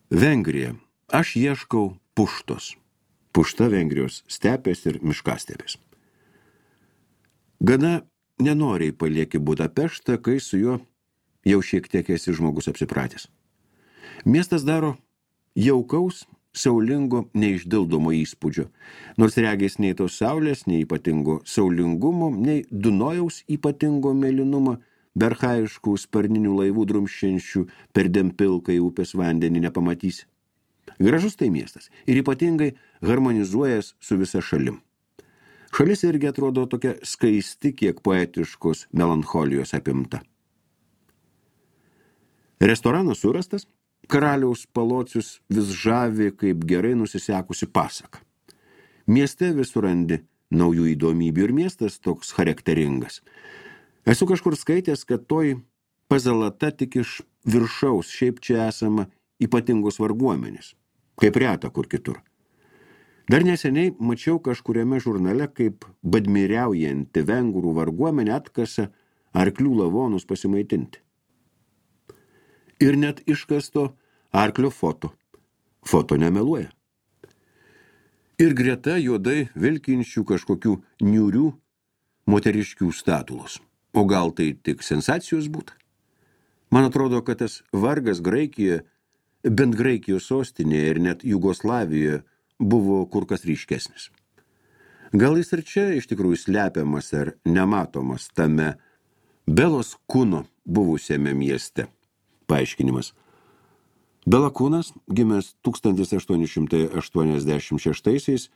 Vengrija. Aš ieškau Puštos. Pušta Vengrijos stepės ir miškastepės. Gana nenoriai palieki Budapeštą, kai su juo jau šiek tiek esi žmogus apsipratęs. Miestas daro jaukaus, saulingo, neišdildomo įspūdžio, nors regės nei tos saulės, nei ypatingo saulingumo, nei Dunojaus ypatingo mėlynumą, be archaiškų sparninių laivų drumščiančių perdėm pilkai upės vandenį nepamatysi. Gražus tai miestas ir ypatingai harmonizuojas su visa šalim. Šalis irgi atrodo tokia skaisti, kiek poetiškos melancholijos apimta. Restoranas surastas, karaliaus palocius vis žavi kaip gerai nusisekusi pasaka. Mieste vis surandi naujų įdomybių ir miestas toks charakteringas. Esu kažkur skaitęs, kad toji pazalata tik iš viršaus, šiaip čia esama ypatingos varguomenės, kaip reta kur kitur. Dar neseniai mačiau kažkuriame žurnale, kaip badmiriaujanti vengrų varguomenė atkasa arklių lavonus pasimaitinti. Ir net iškasto arklio foto. Foto nemeluoja. Ir greta juodai vilkinčių kažkokių niūrių moteriškių statulos. O gal tai tik sensacijos būtų? Man atrodo, kad tas vargas Graikijoje, bent Graikijos sostinėje ir net Jugoslavijoje buvo kur kas ryškesnis. Gal jis ir čia iš tikrųjų slepiamas ar nematomas tame Belos Kuno buvusiame mieste. Paaiškinimas. Bela Kunas, gimęs 1886,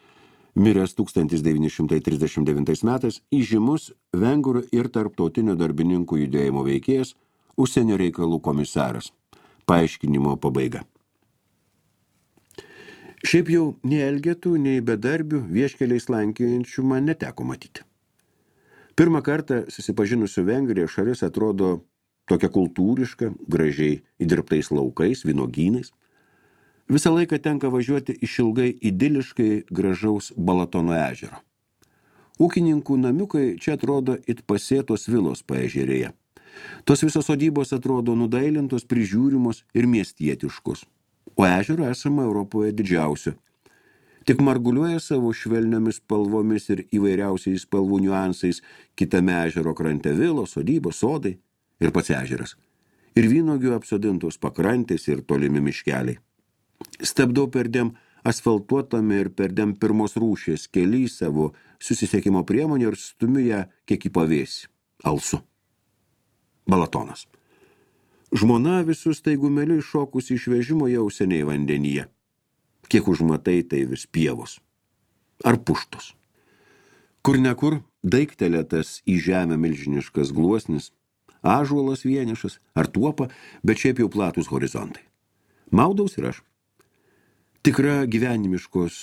miręs 1939 metais, įžymus vengrų ir tarptautinio darbininkų judėjimo veikėjas, užsienio reikalų komisaras. Paaiškinimo pabaiga. Šiaip jau nei elgetų, nei bedarbių vieškeliais lankiojančių man neteko matyti. Pirmą kartą susipažinusiu Vengrija šalis atrodo tokia kultūriška, gražiai įdirbtais laukais, vynogynais. Visą laiką tenka važiuoti išilgai idiliškai gražaus Balatono ežero. Ūkininkų namiukai čia atrodo it pasėtos vilos paežerėje. Tos visos sodybos atrodo nudailintos, prižiūrimos ir miestietiškos. O ežero esama Europoje didžiausio. Tik marguliuoja savo švelniomis spalvomis ir įvairiausiais spalvų niuansais kitame ežero krante vilos, sodybos, sodai ir pats ežeras. Ir vynuogių apsodintos pakrantės ir tolimi miškeliai. Stabdau perdėm asfaltuotame ir perdėm pirmos rūšies kely savo susisiekimo priemonę ir stumiu ją kiek į pavėsį. Alsu. Balatonas. Žmona visus taigumeliu iššokusi iš vežimo jau seniai vandenyje. Kiek užmatai, tai vis pievos. Ar puštos. Kur nekur daiktelėtas į žemę milžiniškas gluosnis, ąžuolas vienišas ar tuopa, bet šiaip jau platus horizontai. Maudaus ir aš. Tikra gyvenimiškos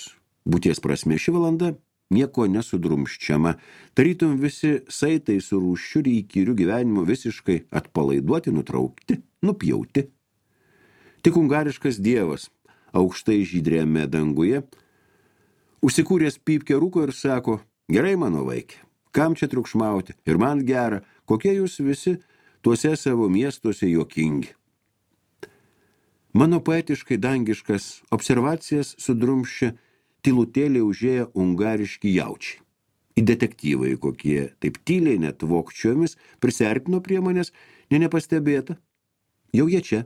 būties prasme ši valanda nieko nesudrumščiama, tarytum visi saitai su rūsčiu ir įkyriu gyvenimu visiškai atpalaiduoti, nutraukti, nupjauti. Tik ungariškas dievas, aukštai žydrėme danguje, užsikūręs pypkę rūko ir sako, gerai mano vaikė, kam čia triukšmauti, ir man gera, kokie jūs visi tuose savo miestuose juokingi. Mano poetiškai dangiškas observacijas sudrumščia tylutėliai užėję ungariški jaučiai. Į detektyvai kokie, taip tyliai net vokčiomis, prisertino prie manęs, nepastebėta. Jau jie čia,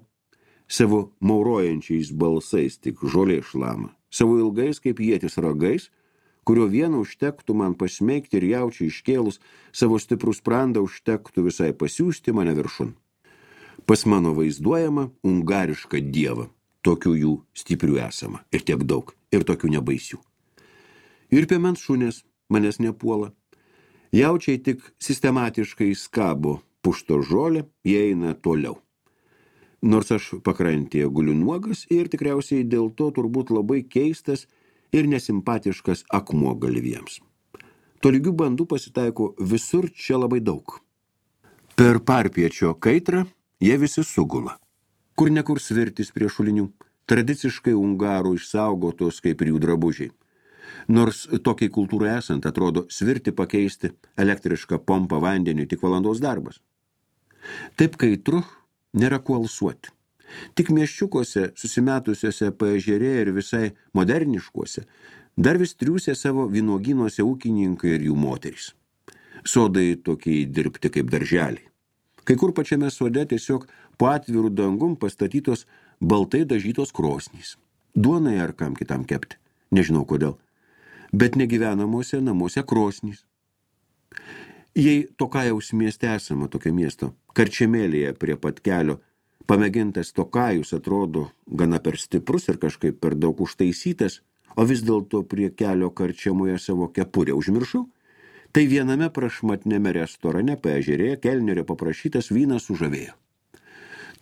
savo maurojančiais balsais tik žolė šlama, savo ilgais kaip ietis ragais, kurio vieną užtektų man pasmeigti ir jaučiai iškėlus, savo stiprų sprandą užtektų visai pasiųsti mane viršun. Pas mano vaizduojama ungarišką dievą. Tokių jų stiprių esama. Ir tiek daug. Ir tokių nebaisių. Ir piemens šunės manęs nepuola. Jaučiai tik sistematiškai skabo pušto žolę, jie eina toliau. Nors aš pakrantėje guliu nuogas ir tikriausiai dėl to turbūt labai keistas ir nesimpatiškas akmuo galviems. Tolygių bandų pasitaiko visur čia labai daug. Per parpiečio kaitrą jie visi sugula. Kur nekur svirtis prie šulinių, tradiciškai ungarų išsaugotos kaip ir jų drabužiai. Nors tokiai kultūrai esant atrodo svirti pakeisti elektrišką pompą vandeniu tik valandos darbas. Taip kaitru nėra kuo alsuoti. Tik miesčiukuose, susimetusiuose paežerė ir visai moderniškuose, dar vis triūsė savo vynuogynuose ūkininkai ir jų moterys. Sodai tokiai dirbti kaip darželiai. Kai kur pačiame sode tiesiog po atvirų dangum pastatytos baltai dažytos krosnys. Duonai ar kam kitam kepti, nežinau kodėl. Bet negyvenamuose namuose krosnys. Jei Tokajaus mieste esama tokio miesto, Karčemėlėje prie pat kelio, pamėgintas Tokajus atrodo gana per stiprus ir kažkaip per daug užtaisytas, o vis dėlto prie kelio Karčemoje savo kepurę užmiršau, tai viename prašmatnėme restorane paežerėje kelnerio paprašytas vynas sužavėjo.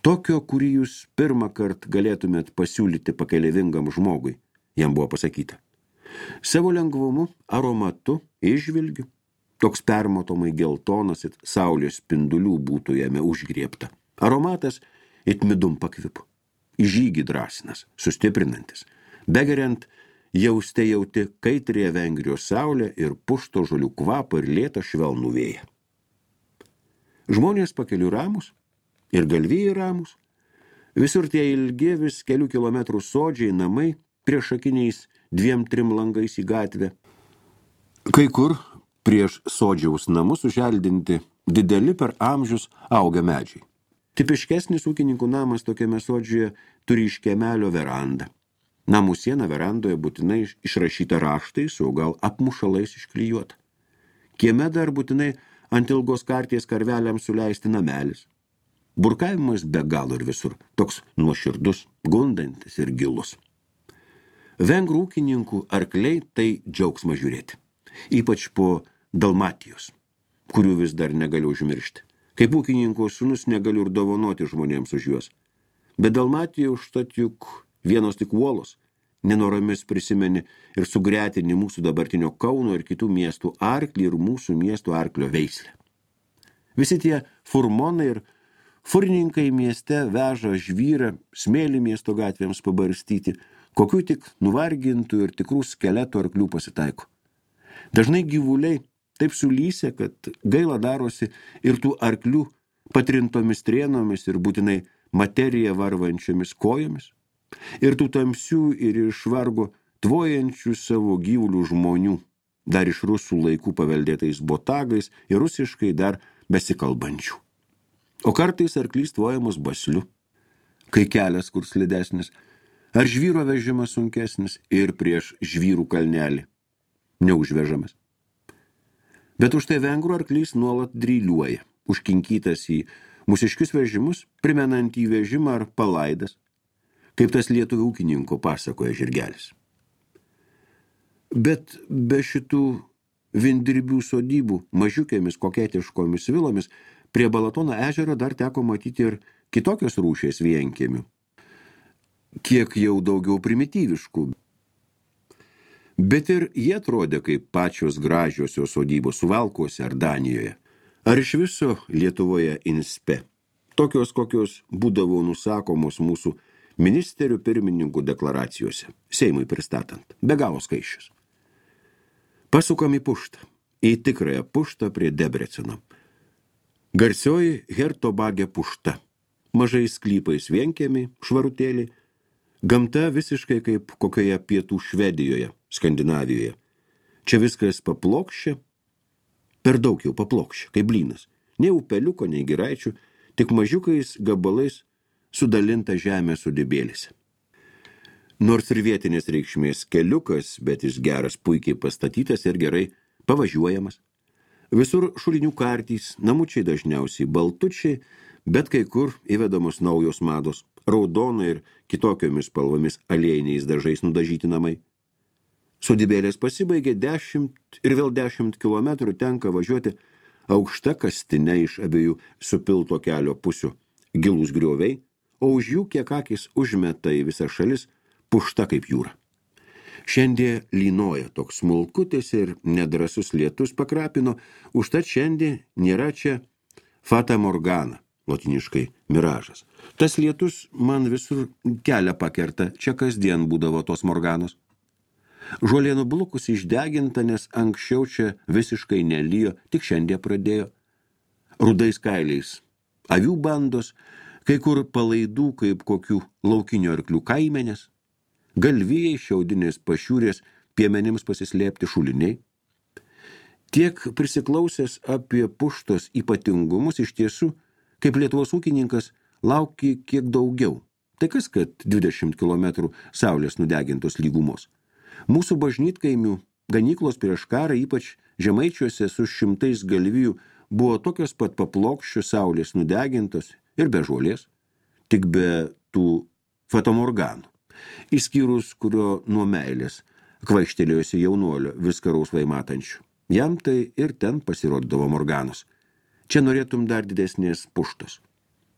Tokio, kurį jūs pirmą kartą galėtumėt pasiūlyti pakeleivingam žmogui, jam buvo pasakyta. Savo lengvumu, aromatu, išvilgiu, toks permatomai geltonas ir saulės spindulių būtų jame užgriebta. Aromatas it midum pakvipu, į žygį drąsinas, sustiprinantis, begeriant jausti jauti kaitrėje Vengrijos saulę ir pušto žolių kvapą ir lėtą švelnų vėją. Žmonės pakelių ramus ir galvijai ramus, visur tie ilgi vis kelių kilometrų sodžiai namai priešakiniais 2-3 langais į gatvę. Kai kur prieš sodžiaus namus uželdinti dideli per amžius auga medžiai. Tipiškesnis ūkininkų namas tokiame sodžioje turi iš kiemelio verandą. Namų siena verandoje būtinai išrašyta raštais, o gal apmušalais išklijuota. Kieme dar būtinai ant ilgos karties karveliams suleisti namelis. Burkavimas be galo ir visur, toks nuoširdus, gundantis ir gilus. Vengrų ūkininkų arkliai tai džiaugsma žiūrėti, ypač po Dalmatijos, kurių vis dar negaliu užmiršti. Kaip ūkininko sūnus negaliu ir dovanoti žmonėms už juos. Bet Dalmatija užtat juk vienos tik uolos, nenoromis prisimeni ir sugretini mūsų dabartinio Kauno ir kitų miestų arklį ir mūsų miestų arklio veislę. Visi tie furmonai ir furininkai mieste veža žvyrą, smėlį miesto gatvėms pabarstyti, kokių tik nuvargintų ir tikrų skeletų arklių pasitaiko. Dažnai gyvuliai taip sulysė, kad gaila darosi ir tų arklių patrintomis trienomis ir būtinai materiją varvančiomis kojomis, ir tų tamsių ir iš vargo tvojančių savo gyvulių žmonių, dar iš rusų laikų paveldėtais botagais ir rusiškai dar besikalbančių. O kartais arklys tvojamas basliu, kai kelias kur slidesnis, ar žvyro vežimas sunkesnis ir prieš žvyrų kalnelį neužvežamas. Bet už tai vengrų arklys nuolat dryliuoja, užkinkytas į mūsiškius vežimus, primenant į vežimą ar palaidas, kaip tas lietuvių ūkininko pasakoja žirgelis. Bet be šitų vindirbių sodybų, mažiukėmis koketiškomis vilomis, prie Balatono ežero dar teko matyti ir kitokios rūšies vienkiemių, kiek jau daugiau primityviškų. Bet ir jie atrodė kaip pačios gražiosios sodybos Suvalkuose ar Danijoje, ar iš viso Lietuvoje inspe, tokios kokios būdavo nusakomos mūsų ministerių pirmininkų deklaracijose, Seimui pristatant, be galo skaičius. Pasukam į puštą, į tikrąją puštą prie Debreceno. Garsioji Hertobagė pušta, mažais sklypais vienkiemiai, švarutėliai, gamta visiškai kaip kokioje pietų Švedijoje, Skandinavijoje. Čia viskas paplokščia, per daug jau paplokščia, kaip blynas, nei upeliuko, nei giraičių, tik mažiukais gabalais sudalinta žemė sodybėlėse. Nors ir vietinės reikšmės keliukas, bet jis geras, puikiai pastatytas ir gerai pavažiuojamas. Visur šulinių kartys, namučiai dažniausiai baltučiai, bet kai kur įvedamos naujos mados, raudonai ir kitokiomis spalvomis aliejiniais dažais nudažyti namai. Sodybėlės pasibaigė 10 ir vėl 10 kilometrų tenka važiuoti aukšta kastine iš abiejų supilto kelio pusių, gilūs grioviai, o už jų kiek akis užmeta į visą šalis pušta kaip jūra. Šiandien lynoja toks smulkutis ir nedrasus lietus pakrapino, užtat šiandien nėra čia fata morgana, lotiniškai miražas. Tas lietus man visur kelią pakerta, čia kasdien būdavo tos morganos. Žolė nublukus išdeginta, nes anksčiau čia visiškai nelijo, tik šiandien pradėjo. Rudais kailiais avių bandos, Kai kur palaidų kaip kokių laukinių arklių kaimenės, galvijai, šiaudinės pašiūrės, piemenims pasislėpti šuliniai. Tiek prisiklausęs apie Puštos ypatingumus iš tiesų, kaip Lietuvos ūkininkas, lauki kiek daugiau. Tai kas, kad 20 km saulės nudegintos lygumos. Mūsų bažnytkaimių ganyklos prieš karą, ypač Žemaičiuose su 100 galvijų, buvo tokios pat paplokščios saulės nudegintos ir be žolės, tik be tų fatamorganų. Išskyrus, kurio nuo meilės kvaištelėjusi jaunuolio viską rausvai matančių. Jam tai ir ten pasirodydavo morganos. Čia norėtum dar didesnės Puštos.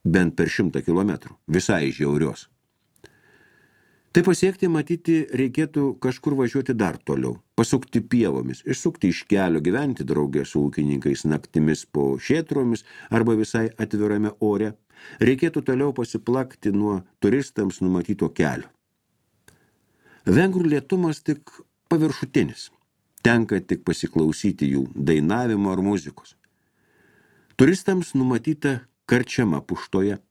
Bent per 100 kilometrų, visai žiaurios. Tai pasiekti, matyti, reikėtų kažkur važiuoti dar toliau, pasukti pievomis, išsukti iš kelio, gyventi draugė su ūkininkais naktimis po šėtromis arba visai atvirame ore. Reikėtų toliau pasiplakti nuo turistams numatyto kelio. Vengrų lėtumas tik paviršutinis. Tenka tik pasiklausyti jų dainavimo ar muzikos. Turistams numatyta karčiama Puštoje.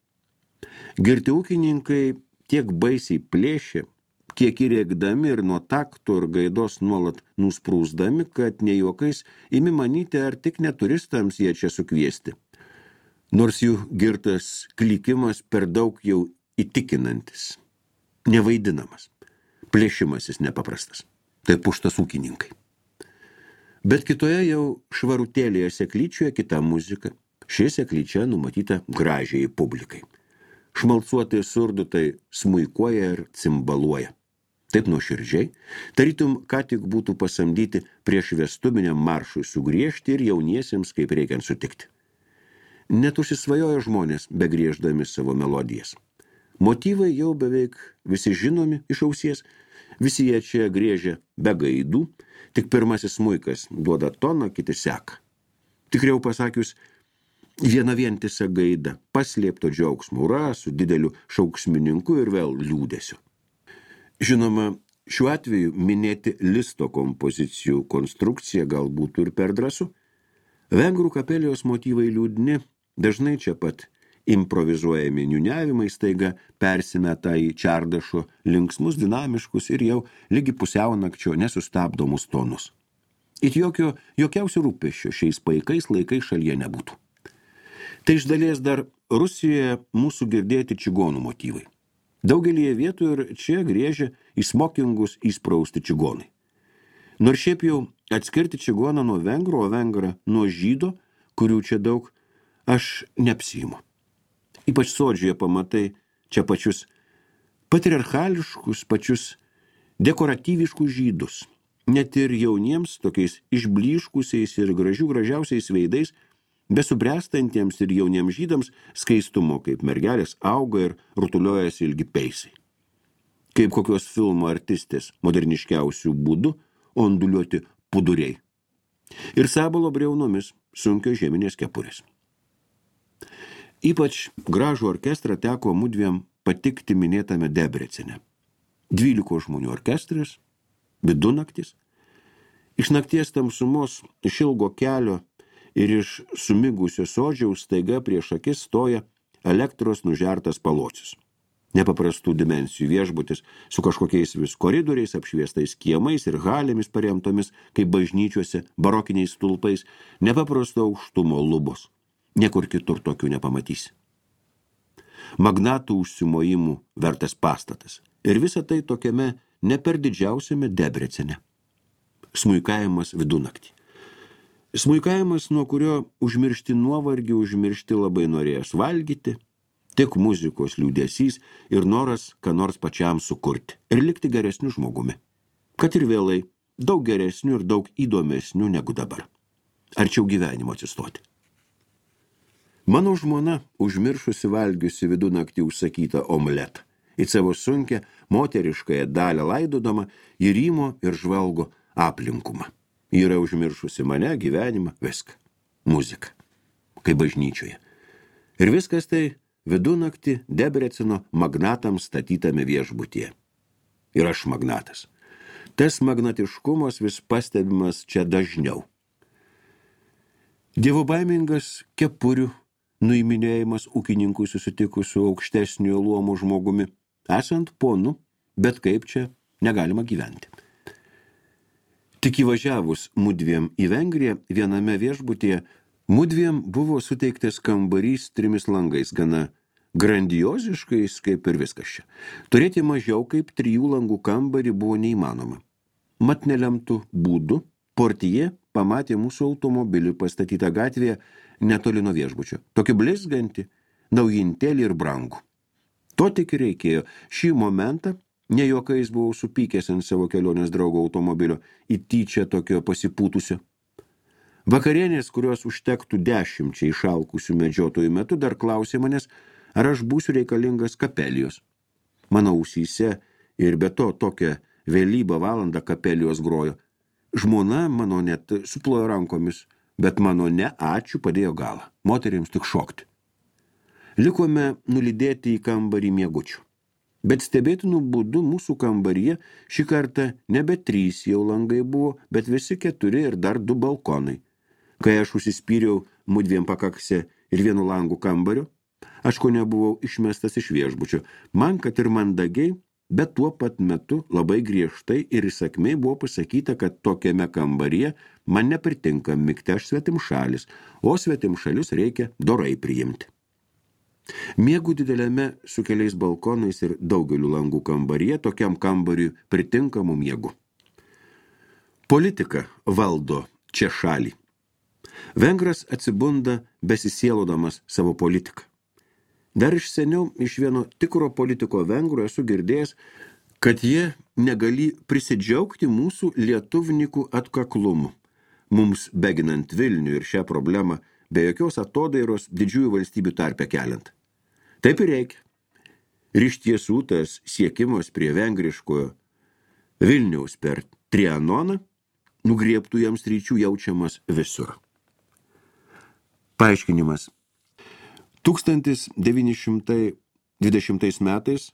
Girti ūkininkai tiek baisiai plėšė, kiek įrėkdami ir nuo takto ir gaidos nuolat nusprūsdami, kad ne juokais imi manyti, ar tik ne turistams jie čia sukviesti. Nors jų girtas klikimas per daug jau įtikinantis, nevaidinamas, plėšimasis nepaprastas. Tai Puštos ūkininkai. Bet kitoje jau švarutėlėje seklyčioje kita muzika. Ši seklyčia numatyta gražiai publikai. Šmalsuotai surdutai smuikuoja ir cimbaluoja. Taip nuoširdžiai, tarytum, ką tik būtų pasamdyti prieš vestuviniam maršui sugriežti ir jauniesiems kaip reikiant sutikti. Net užsisvajoja žmonės, begrieždami savo melodijas. Motyvai jau beveik visi žinomi iš ausies, visi jie čia griežia be gaidų, tik pirmasis smuikas duoda toną, kiti seka. Tikriau pasakius, viena vientisa gaida, paslėpto džiaugsmo ura su dideliu šauksmininku ir vėl liūdesiu. Žinoma, šiuo atveju minėti Listo kompozicijų konstrukciją galbūt ir per drąsu. Vengrų kapelijos motyvai liūdni, dažnai čia pat improvizuojami niūniavimai staiga persimeta į Čardašo linksmus, dinamiškus ir jau lygi pusiaunakčio nesustabdomus tonus. It jokiausių rūpesčių šiais paikais laikais šalyje nebūtų. Tai iš dalies dar Rusijoje mūsų girdėti čigonų motyvai. Daugelį vietų ir čia griežia į smokingus įsprausti čigonai. Nors šiaip jau atskirti čigoną nuo vengro, o vengrą nuo žydo, kurių čia daug, aš neapsiimu. Ypač sodžioje pamatai čia pačius patriarchališkus, pačius dekoratyviškus žydus. Net ir jauniems, tokiais išblyškusiais ir gražiausiais veidais, besubręstantiems ir jauniems žydams skaistumo, kaip mergelės auga ir rutuliojasi ilgi peisai. Kaip kokios filmo artistės moderniškiausių būdų onduliuoti puduriai. Ir sabalo briaunomis sunkios žieminės kepurės. Ypač gražų orkestrą teko mudviem patikti minėtame Debrecene. 12 žmonių orkestras, vidunaktis. Iš nakties tamsumos, iš ilgo kelio ir iš sumigusio sodžiaus staiga prieš akis stoja elektros nužertas palocius. Nepaprastų dimensijų viešbutis su kažkokiais vis koridoriais, apšviestais kiemais ir halėmis paremtomis, kaip bažnyčiuose, barokiniais stulpais, nepaprasto aukštumo lubos. Niekur kitur tokių nepamatysi. Magnatų užsimojimų vertas pastatas. Ir visa tai tokiame ne per didžiausiame Debrecene. Smuikavimas vidunaktį. Smuikavimas, nuo kurio užmiršti nuovargį, užmiršti labai norėjęs valgyti, tik muzikos liūdesys ir noras, ką nors pačiam sukurti ir likti geresniu žmogumi. Kad ir vėlai, daug geresniu ir daug įdomesniu negu dabar. Arčiau gyvenimo atsistoti. Mano žmona, užmiršusi valgiusi vidunaktį užsakytą omletą, į savo sunkę moteriškąją dalę laidodama, įrymo ir žvalgo aplinkumą. Yra užmiršusi mane, gyvenimą, viską. Muziką. Kaip bažnyčioje. Ir viskas tai vidunaktį Debreceno magnatams statytame viešbutyje. Ir aš magnatas. Tas magnatiškumas vis pastebimas čia dažniau. Dievobaimingas kepurių, nuiminėjimas ūkininkui susitikus su aukštesnio luomo žmogumi. Esant ponu, bet kaip čia negalima gyventi. Tik įvažiavus mudviem į Vengriją, viename viešbutyje, mudviem buvo suteiktas kambarys 3 langais, gana grandioziškais kaip ir viskas čia. Turėti mažiau kaip 3 langų kambarį buvo neįmanoma. Mat nelemtų būdų, portije pamatė mūsų automobilį pastatytą gatvėje netoli nuo viešbučio. Tokį blizgantį, naujintėlį ir brangų. To tik reikėjo. Šį momentą ne juokais buvau supykęs ant savo kelionės draugo automobilio į tyčia tokio pasipūtusio. Vakarienės, kurios užtektų 10 išalkusių medžiotojų metu, dar klausė manęs, ar aš būsiu reikalingas kapelijos. Mano ausyse ir be to tokią vėlybą valandą kapelijos grojo. Žmona mano net suplojo rankomis, bet mano ne ačiū padėjo galą. Moterims tik šokti. Likome nulydėti į kambarį miegučių. Bet stebėtinų būdų mūsų kambaryje šį kartą nebe 3 jau langai buvo, bet visi 4 ir dar 2 balkonai. Kai aš užsispyriau mudviem pakakse ir 1 langų kambario, aš ko nebuvau išmestas iš viešbučio. Man, kad ir mandagiai, bet tuo pat metu labai griežtai ir įsakmiai buvo pasakyta, kad tokiame kambaryje man nepritinka migti aš svetimšalis, o svetimšalius reikia dorai priimti. Miegu dideliame su keliais balkonais ir daugeliu langų kambaryje, tokiam kambariui pritinkamu miegu. Politika valdo čia šalį. Vengras atsibunda besisielodamas savo politiką. Dar iš seniau iš vieno tikro politiko vengrų esu girdėjęs, kad jie negali prisidžiaugti mūsų lietuvnikų atkaklumu, mums beginant Vilnių ir šią problemą be jokios atodairos didžiųjų valstybių tarpe keliant. Taip ir reikia. Ir iš tiesų tas siekimas prie vengriškojo Vilniaus per Trianoną nugriebtų jam stryčių jaučiamas visur. Paaiškinimas. 1920 metais,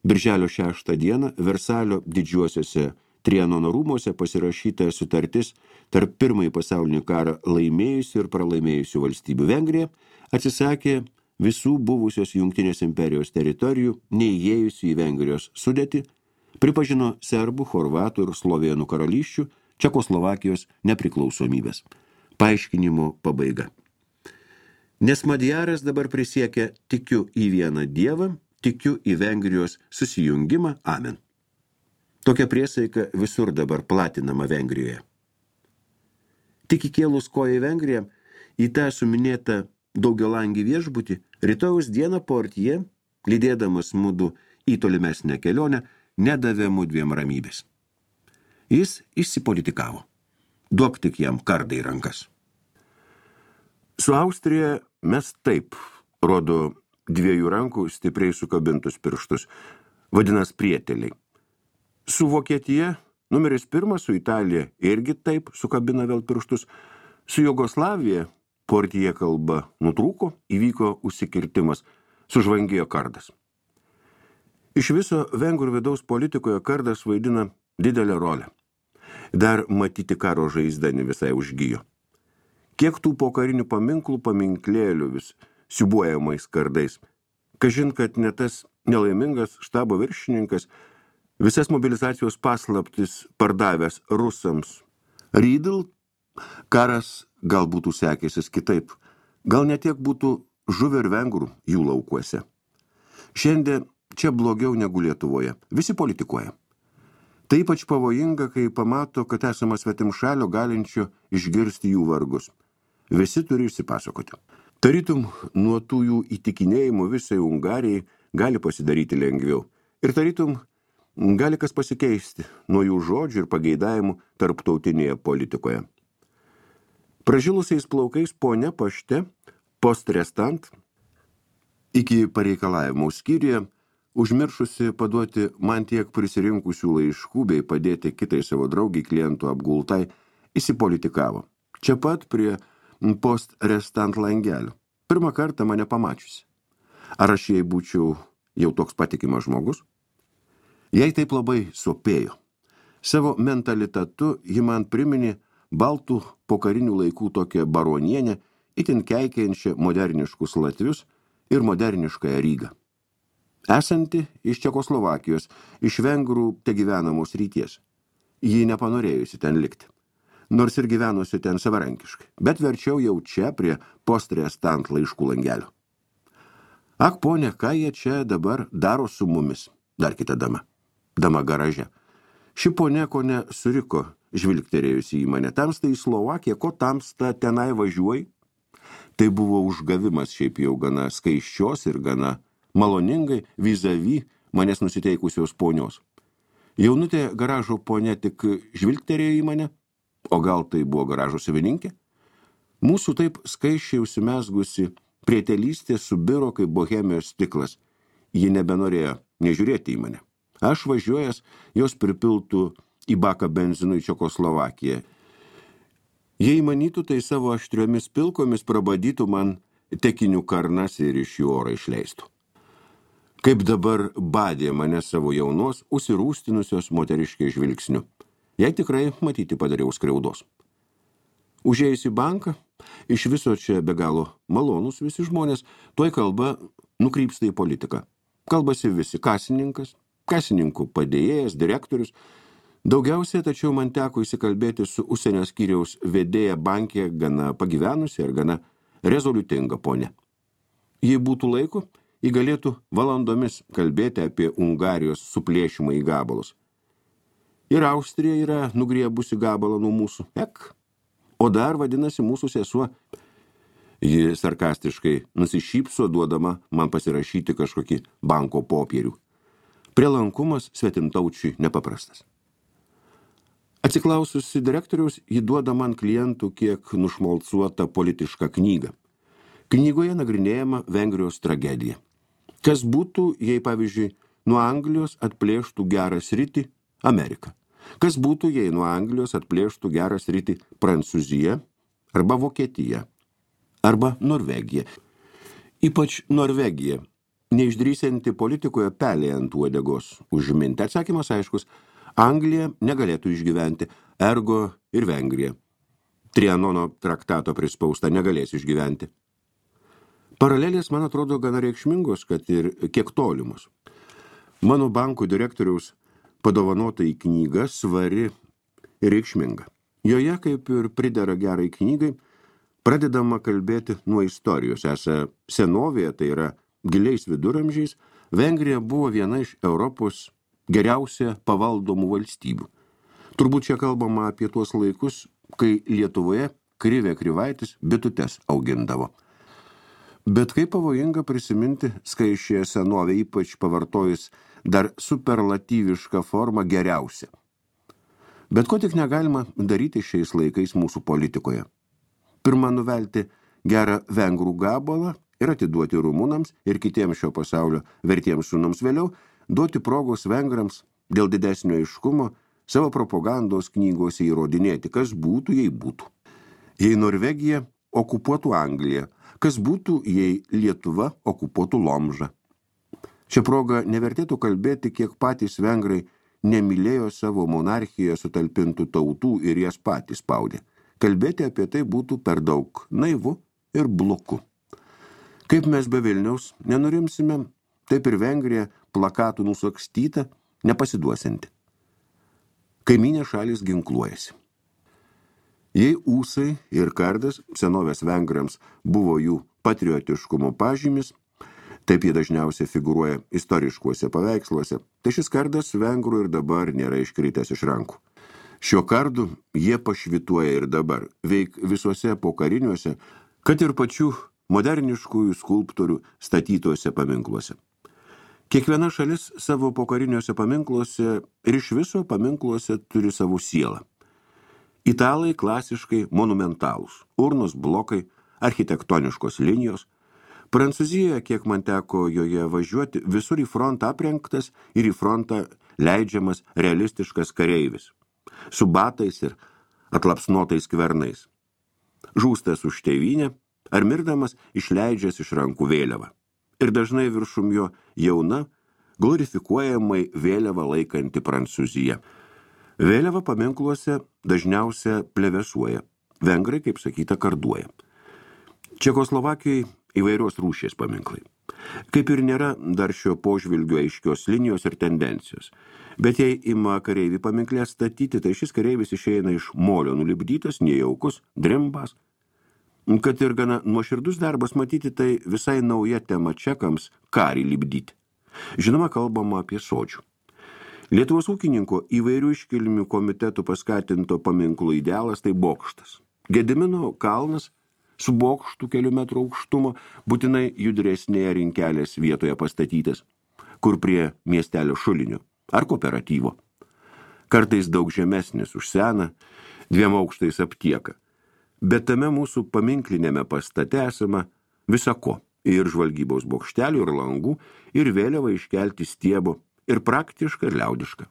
birželio 6 dieną, Versalio didžiuosiuose Trianono rūmuose pasirašyta sutartis tarp Pirmąjį pasaulinį karą laimėjusių ir pralaimėjusių valstybių. Vengrija atsisakė visų buvusios Jungtinės imperijos teritorijų, neįėjusių į Vengrijos sudėtį, pripažino serbų, chorvatų ir slovėnų karalysčių Čekoslovakijos nepriklausomybės. Paaiškinimo pabaiga. Nes Madjaras dabar prisiekia tikiu į vieną dievą, tikiu į Vengrijos susijungimą, amen. Tokia priesaika visur dabar platinama Vengrijoje. Tik įkėlus koją į Vengriją, į tą suminėtą daugialangį viešbutį, rytojaus dieną portije, lydėdamas mudu į tolimesnę kelionę, nedavė mudviem ramybės. Jis išsipolitikavo. Duok tik jam kardą į rankas. Su Austrija mes taip, rodo 2 rankų stipriai sukabintus pirštus, vadinas prieteliai. Su Vokietija, numeris 1, su Italija irgi taip sukabina vėl pirštus. Su Jugoslavija portije kalba nutrūko, įvyko užsikirtimas, sužvangėjo kardas. Iš viso vengrų vidaus politikoje kardas vaidina didelę rolę. Dar matyti karo žaizda ne visai užgijo. Kiek tų pokarinių paminklų paminklėlių vis siubuojamais kardais. Kažin, kad ne tas nelaimingas štabo viršininkas visas mobilizacijos paslaptis pardavęs rusams. Rydl karas gal būtų sekėsis kitaip. Gal netiek būtų žuvę ir vengrų jų laukuose. Šiandien čia blogiau negu Lietuvoje. Visi politikuoja. Tai ypač pavojinga, kai pamato, kad esama svetimšalio galinčio išgirsti jų vargus. Visi turi išsipasakoti. Tarytum, nuo tų jų įtikinėjimų visai Ungarijai gali pasidaryti lengviau. Ir tarytum, gali kas pasikeisti nuo jų žodžių ir pageidavimų tarptautinėje politikoje. Pražilusiais plaukais ponia pašte, postrestant, iki pareikalavimų skyriuje, užmiršusi paduoti man tiek prisirinkusių laiškų bei padėti kitai savo draugiai klientų apgultai, įsipolitikavo. Čia pat prie postrestant langelio. Pirmą kartą mane pamačiusi. Ar aš jai būčiau jau toks patikimas žmogus? Jai taip labai sopėjo. Savo mentalitetu ji man priminė baltų pokarinių laikų tokią baronienę itin keikiančią moderniškus latvius ir moderniškąją Rygą. Esanti iš Čekoslovakijos, iš vengrų tegyvenamos ryties. Ji nepanorėjusi ten likti, nors ir gyvenusi ten savarankiškai, bet verčiau jau čia prie postrestant laiškų langelio. Ak, ponė, ką jie čia dabar daro su mumis? Dar kita dama. Dama garaže. Ši ponė kone suriko, žvilgterėjusi į mane. Tamsta į Slovakiją, ko tamsta tenai važiuoji? Tai buvo užgavimas šiaip jau gana skaiščios ir gana maloningai vis-a-vis manęs nusiteikusios ponios. Jaunutė garažo ponė tik žvilgterėjo į mane, o gal tai buvo garažo savininkė? Mūsų taip skaiščiai užsimesgusi prietelystė subiro kaip bohemijos stiklas. Ji nebenorėjo nežiūrėti į mane. Aš važiuojas, jos pripiltų į baką benzinu į Čekoslovakiją. Jei manytų, tai savo aštriomis pilkomis prabadytų man tekinių karnas ir iš jų orą išleistų. Kaip dabar badė mane savo jaunos, užsirūstinusios moteriškiai žvilgsniu. Jei tikrai matyti padariau skriaudos. Užėjus į banką, iš viso čia be galo malonus visi žmonės, toj kalba nukrypsta į politiką. Kalbasi visi kasininkas, kasininkų padėjėjas, direktorius. Daugiausiai, tačiau man teko įsikalbėti su užsienio skyriaus vedėja bankė gana pagyvenusi ir gana rezoliutinga ponė. Jei būtų laiko, ji galėtų valandomis kalbėti apie Ungarijos suplėšimą į gabalus. Ir Austrija yra nugriebusi gabalą nuo mūsų. O dar vadinasi mūsų sesuo. Ji sarkastiškai nusišypso, duodama man pasirašyti kažkokį banko popierių. Prielankumas svetimtaučiui nepaprastas. Atsiklaususi direktoriaus, ji duoda man klientų kiek nušmalcuotą politišką knygą. Knygoje nagrinėjama Vengrijos tragedija. Kas būtų, jei, pavyzdžiui, nuo Anglijos atplėštų gerą sritį Ameriką? Kas būtų, jei nuo Anglijos atplėštų gerą sritį Prancūzija arba Vokietija arba Norvegija? Ypač Norvegija, neišdrįsianti politikoje pelė ant uodegos užminti. Atsakymas aiškus, Anglija negalėtų išgyventi, ergo ir Vengrija. Trianono traktato prispausta negalės išgyventi. Paralelės, man atrodo, gana reikšmingos, kad ir kiek tolimos. Mano bankų direktoriaus padovanota į knygą svari ir reikšminga. Joje, kaip ir pridera gerai knygai, pradedama kalbėti nuo istorijos. Esą senovėje, tai yra giliais viduramžiais, Vengrija buvo viena iš Europos geriausia pavaldomų valstybių. Turbūt čia kalbama apie tuos laikus, kai Lietuvoje Krivė Krivaitis bitutes augindavo. Bet kaip pavojinga prisiminti skaičiąją senovę, ypač pavartojus dar superlatyvišką formą geriausia. Bet ko tik negalima daryti šiais laikais mūsų politikoje. Pirma, nuvelti gerą vengrų gabalą ir atiduoti rumunams ir kitiems šio pasaulio vertiems sūnums, vėliau duoti progos vengrams dėl didesnio aiškumo savo propagandos knygose įrodinėti, kas būtų, jei būtų. Jei Norvegija okupuotų Angliją, kas būtų, jei Lietuva okupuotų Lomžą. Šią progą nevertėtų kalbėti, kiek patys vengrai nemylėjo savo monarchijoje sutalpintų tautų ir jas patys spaudė. Kalbėti apie tai būtų per daug naivu ir bloku. Kaip mes be Vilniaus nenurimsime, taip ir Vengrija plakatų nusakstyta, nepasiduosinti. Kaimynė šalis ginkluojasi. Jei ūsai ir kardas senovės vengrams buvo jų patriotiškumo pažymis, taip jie dažniausiai figūruoja istoriškuose paveiksluose, tai šis kardas vengrų ir dabar nėra iškritęs iš rankų. Šiuo kardu jie pašvituoja ir dabar, veik visuose pokariniuose, kad ir pačių moderniškųjų skulptorių statytuose paminkluose. Kiekviena šalis savo pokariniuose paminkluose ir iš viso paminkluose turi savo sielą. Italai klasiškai monumentalūs, urnos blokai, architektoniškos linijos. Prancūzijoje, kiek man teko joje važiuoti, visur į frontą aprengtas ir į frontą leidžiamas realistiškas kareivis, su batais ir atlapsnotais kvernais. Žūstas už tėvynę, ar mirdamas išleidžias iš rankų vėliavą. Ir dažnai viršum jo jauna, glorifikuojamai vėliavą laikanti Prancūzija. Vėliava paminkluose dažniausia plevesuoja, vengrai, kaip sakyta, karduoja. Čekoslovakijoje įvairios rūšies paminklai. Kaip ir nėra dar šio požvilgio aiškios linijos ir tendencijos. Bet jei ima kareivį paminklę statyti, tai šis kareivis išeina iš molio nulipdytas, nejaukus, drimbas. Kad ir gana nuoširdus darbas matyti, tai visai nauja tema čekams karį lipdyti. Žinoma, kalbama apie sodžių. Lietuvos ūkininko įvairių iškilmių komitetų paskatinto paminklų idealas tai bokštas. Gedimino kalnas su bokštu kelių metrų aukštumo, būtinai judresnėje rinkelės vietoje pastatytas, kur prie miestelio šulinio ar kooperatyvo. Kartais daug žemesnis už seną, 2 aukštais aptieka. Bet tame mūsų paminklinėme pastate esama visako, ir žvalgybos bokštelių, ir langų, ir vėliavą iškelti stiebo, ir praktiška, ir liaudiška.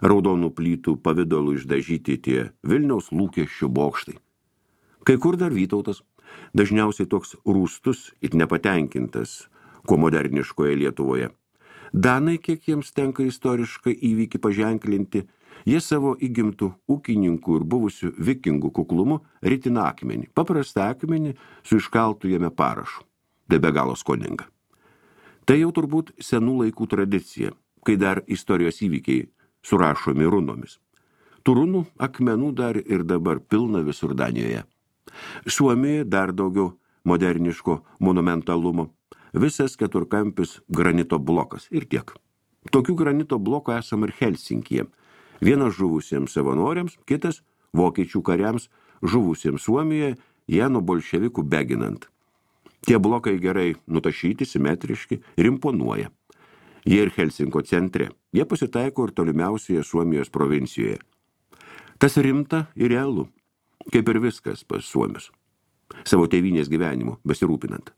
Raudonų plytų pavidalų išdažyti tie Vilniaus lūkesčių bokštai. Kai kur dar Vytautas, dažniausiai toks rūstus ir nepatenkintas, kuo moderniškoje Lietuvoje. Danai, kiek jiems tenka istoriškai įvykį paženklinti, jie savo įgimtų ūkininkų ir buvusių vikingų kuklumu ritina akmenį, paprastą akmenį su iškaltu jame parašu. Tai be galo skoninga. Tai jau turbūt senų laikų tradicija, kai dar istorijos įvykiai surašomi runomis. Tų runų akmenų dar ir dabar pilna visur Danijoje. Suomijoje dar daugiau moderniško monumentalumo. Visas keturkampis granito blokas ir tiek. Tokių granito blokų esama ir Helsinkyje. Vienas žuvusiems savanoriams, kitas vokiečių kariams žuvusiems Suomijoje, jie nuo bolševikų beginant. Tie blokai gerai nutašyti, simetriški ir imponuoja. Jie ir Helsinko centre. Jie pasitaiko ir tolimiausioje Suomijos provincijoje. Tas rimta ir realu, kaip ir viskas pas suomius. Savo tėvynės gyvenimu besirūpinant.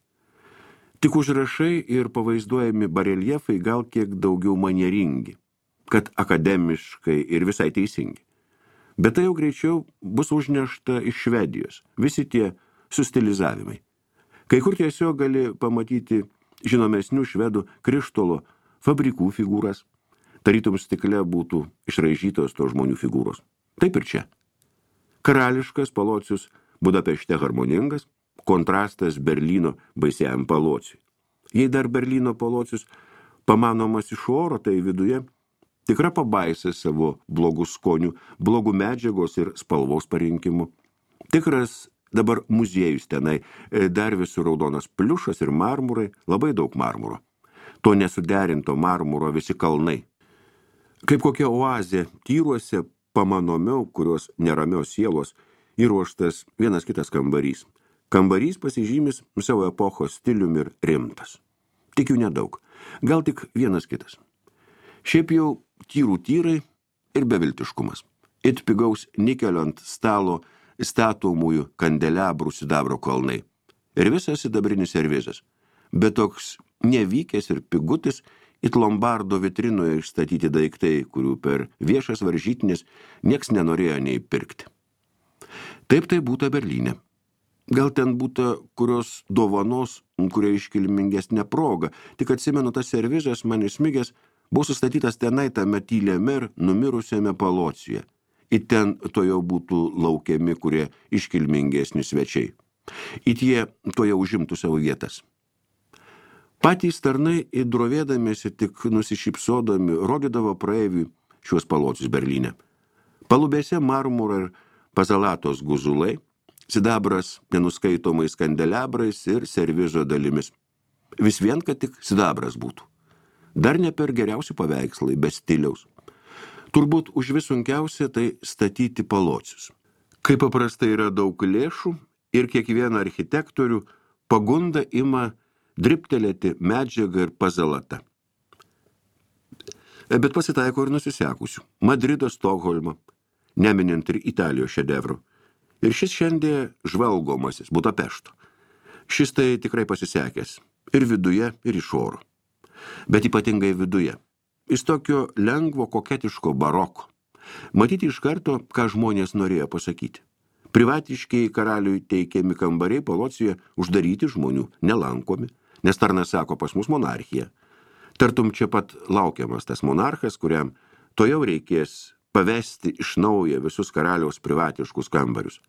Tik užrašai ir pavaizduojami bareljefai gal kiek daugiau manieringi, kad akademiškai ir visai teisingi. Bet tai jau greičiau bus užnešta iš Švedijos, visi tie sustilizavimai. Kai kur tiesiog gali pamatyti žinomesnių švedų krištolo fabrikų figūras, tarytum stikle būtų išraižytos to žmonių figūros. Taip ir čia. Karališkas Palocius Budapešte harmoningas, kontrastas Berlyno baisiajam Palociui. Jei dar Berlyno Palocius pamanomas iš oro, tai viduje tikra pabaisa savo blogų skonių, blogų medžiagos ir spalvos parinkimu. Tikras dabar muziejus tenai, dar visų raudonas pliušas ir marmurai, labai daug marmuro. To nesuderinto marmuro visi kalnai. Kaip kokia oazė tyruose pamanomiau, kurios neramios sielos, įruoštas vienas kitas kambarys. Kambarys pasižymis savo epochos stiliumi ir rimtas. Tik jų nedaug, gal tik vienas kitas. Šiaip jau tyrų tyrai ir beviltiškumas. It pigaus nikelio ant stalo statomųjų kandeliabrų sidabro kalnai. Ir visas sidabrinis servizas. Bet toks nevykęs ir pigutis it Lombardo vitrinoje išstatyti daiktai, kurių per viešas varžytinės nieks nenorėjo nei pirkti. Taip tai būta Berlyne. Gal ten būta kurios dovanos, kuria iškilmingesnė proga, tik atsimenu tas servizas man įsmigęs, buvo sustatytas tenai tame tyliame ir numirusiame Palocijuje. It ten to jau būtų laukiami, kurie iškilmingesni svečiai. It jie to jau užimtų savo vietas. Patys tarnai įdrovėdamiesi tik nusišypsodami rodydavo praeiviui šiuos Palocius Berlyne. Palubėse marmuro ir pazalatos guzulai, sidabras nenuskaitomais kandelabrais ir servizo dalimis. Vis vien, kad tik sidabras būtų. Dar ne per geriausi paveikslai, be stiliaus. Turbūt už vis sunkiausia tai statyti Palocius. Kaip paprastai yra daug lėšų ir kiekvieną architektorių pagunda ima dribtelėti medžiagą ir pazalata. Bet pasitaiko ir nusisekusių. Madrido, Stokholmo, neminint ir Italijos šedevrų. Ir šis šiandien žvalgomasis Budapešto. Šis tai tikrai pasisekęs ir viduje, ir iš oro. Bet ypatingai viduje. Jis tokio lengvo koketiško baroko. Matyti iš karto, ką žmonės norėjo pasakyti. Privatiškiai karaliui teikiami kambariai Palocijoje uždaryti žmonių, nelankomi, nes tarnas sako pas mus monarchija. Tartum čia pat laukiamas tas monarchas, kuriam to jau reikės pavesti iš naujo visus karaliaus privatiškus kambarius.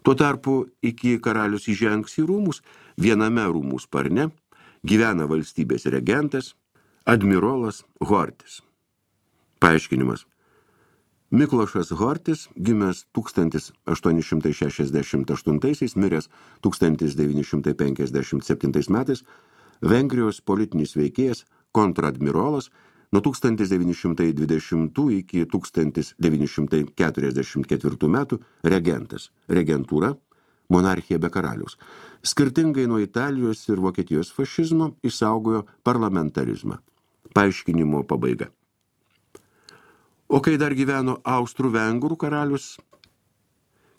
Tuo tarpu iki karalius įžengs į rūmus, viename rūmų sparne gyvena valstybės regentas, admirolas Hortis. Paaiškinimas. Miklošas Hortis, gimęs 1868, miręs 1957 metais, Vengrijos politinis veikėjas, kontradmirolas, nuo 1920 iki 1944 metų regentas, regentūra, monarchija be karaliaus. Skirtingai nuo Italijos ir Vokietijos fašizmo išsaugojo parlamentarizmą. Paaiškinimo pabaiga. O kai dar gyveno Austrų-Vengrų karalius,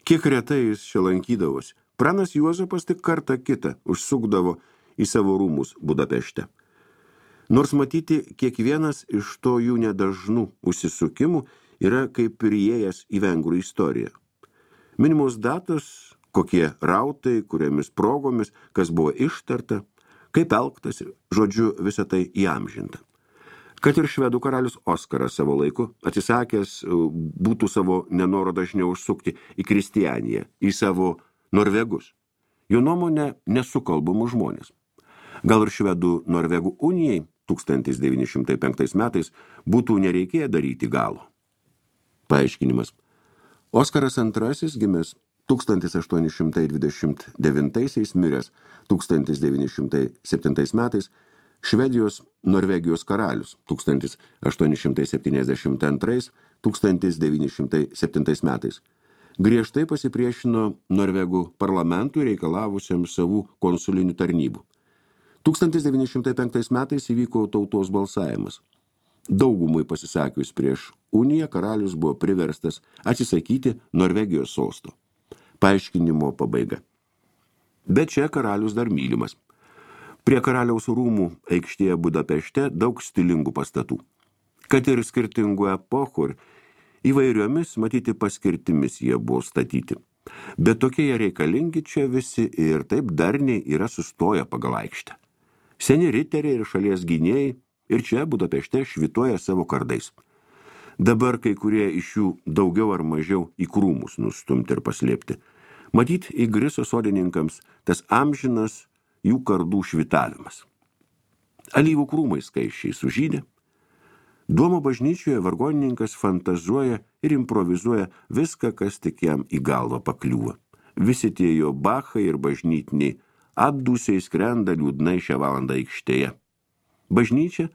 kiek retai jis čia lankydavosi, pranas Juozapas tik kartą kitą užsukdavo į savo rūmus Budapešte. Nors matyti, kiekvienas iš to jų nedažnų užsisukimų yra kaip ir įėjęs į vengrų istoriją. Minimos datos, kokie rautai, kuriamis progomis, kas buvo ištarta, kaip elgtasi, žodžiu, visą tai įamžinta. Kad ir švedų karalius Oskaras savo laiku, atsisakęs būtų savo nenoro dažniau užsukti į Kristianiją, į savo norvegus. Jo nuomonė nesukalbamų žmonės. Gal ir švedų Norvegų unijai 1905 metais būtų nereikėję daryti galo. Paaiškinimas. Oskaras II, gimęs 1829, miręs 1907 metais, Švedijos Norvegijos karalius 1872-1907 metais. Griežtai pasipriešino Norvegų parlamentui reikalavusiam savų konsulinių tarnybų. 1905 metais įvyko tautos balsavimas. Daugumai pasisakius prieš uniją, karalius buvo priverstas atsisakyti Norvegijos sosto. Paaiškinimo pabaiga. Bet čia karalius dar mylimas. Prie karaliaus rūmų aikštėje Budapešte daug stilingų pastatų. Kad ir skirtingų epochų ir įvairiomis, matyti paskirtimis jie buvo statyti. Bet tokie jie reikalingi čia visi ir taip darniai yra sustoję pagal aikštę. Seni riteriai ir šalies gynėjai ir čia Budapešte švituoja savo kardais. Dabar kai kurie iš jų daugiau ar mažiau į krūmus nustumti ir paslėpti. Matyt, įgriso sodininkams tas amžinas jų kardų švitavimas. Alyvų krūmai skaisčiai sužydė. Duomo bažnyčioje vargonininkas fantazuoja ir improvizuoja viską, kas tik jam į galvą pakliūva. Visi tie jo bachai ir bažnytiniai atdūsiai skrenda liūdnai šią valandą aikštėje. Bažnyčia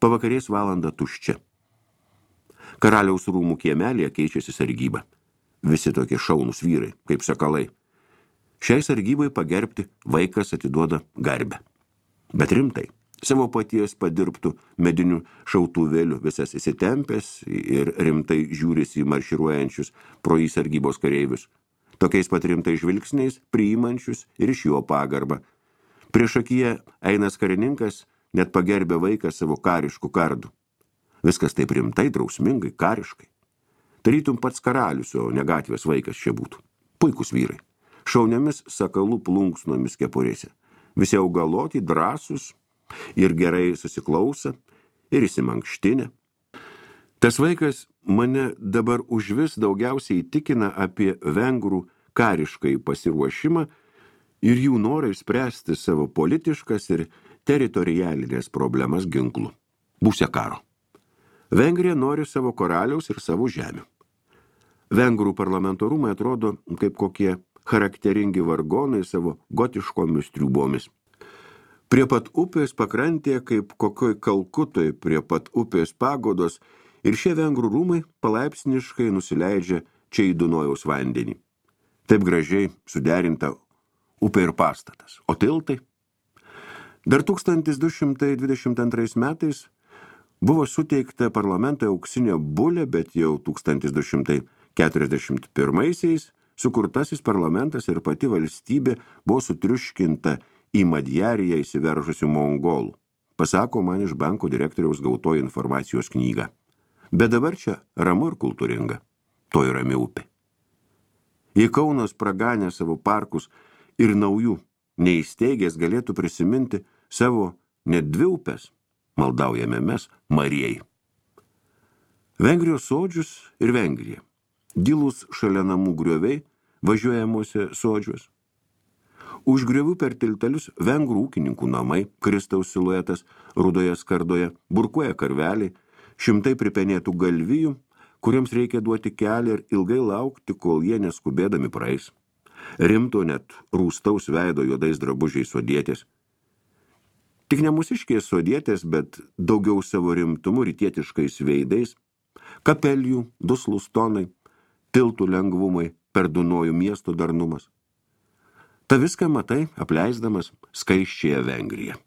pavakarės valandą tuščia. Karaliaus rūmų kiemelėje keičiasi sargyba. Visi tokie šaunūs vyrai, kaip sakalai. Šiai sargybai pagerbti vaikas atiduoda garbę. Bet rimtai, savo paties padirbtų medinių šautuvėlių visas įsitempęs ir rimtai žiūrisi į marširuojančius pro jį sargybos kareivius. Tokiais pat rimtai žvilgsniais priimančius ir iš jo pagarbą. Priešakyje einas karininkas net pagerbė vaiką savo kariškų kardų. Viskas taip rimtai, drausmingai, kariškai. Tarytum pats karalius, o ne gatvės vaikas čia būtų. Puikus vyrai. Šauniomis sakalų plunksnomis kepurėse. Visi augaloti, drąsūs ir gerai susiklausa ir įsimankštinę. Tas vaikas mane dabar užvis daugiausiai įtikina apie vengrų kariškai pasiruošimą ir jų norą išspręsti savo politiškas ir teritorialinės problemas ginklų. Būsia karo. Vengrija nori savo karaliaus ir savo žemių. Vengrų parlamentarumai atrodo kaip kokie charakteringi vargonai savo gotiškomis triūbomis. Prie pat upės pakrantėje, kaip kokioj Kalkutoj prie pat upės pagodos, ir šie vengrų rūmai palaipsniškai nusileidžia čia į Dunojaus vandenį. Taip gražiai suderinta upė ir pastatas. O tiltai? Dar 1222 metais buvo suteikta parlamentui auksinė bulė, bet jau 1241 sukurtasis parlamentas ir pati valstybė buvo sutriuškinta į Madjariją įsiveržusių mongolų. Pasako man iš banko direktoriaus gautoji informacijos knyga. Bet dabar čia ramu ir kultūringa. To yra rami upė. Jei Kaunas praganė savo parkus ir naujų neįsteigęs galėtų prisiminti savo net dvi upes, maldaujame mes Marijai. Vengrijos sodžius ir Vengrija. Gilūs šalia namų grioviai, važiuojamuose sodžiuos. Už griovių per tiltelius vengrų ūkininkų namai, Kristaus siluetas, rudoje skardoje, burkuoja karveliai, šimtai pripenėtų galvijų, kuriems reikia duoti kelią ir ilgai laukti, kol jie neskubėdami praeis. Rimto net rūstaus veido juodais drabužiais sodietės. Tik ne mūsiškės sodietės, bet daugiau savo rimtumu rytietiškais veidais, kapelijų, duslus tonai, tiltų lengvumai, per Dunojų miesto darnumas. Ta viską matai, apleisdamas skaisčiąją Vengriją.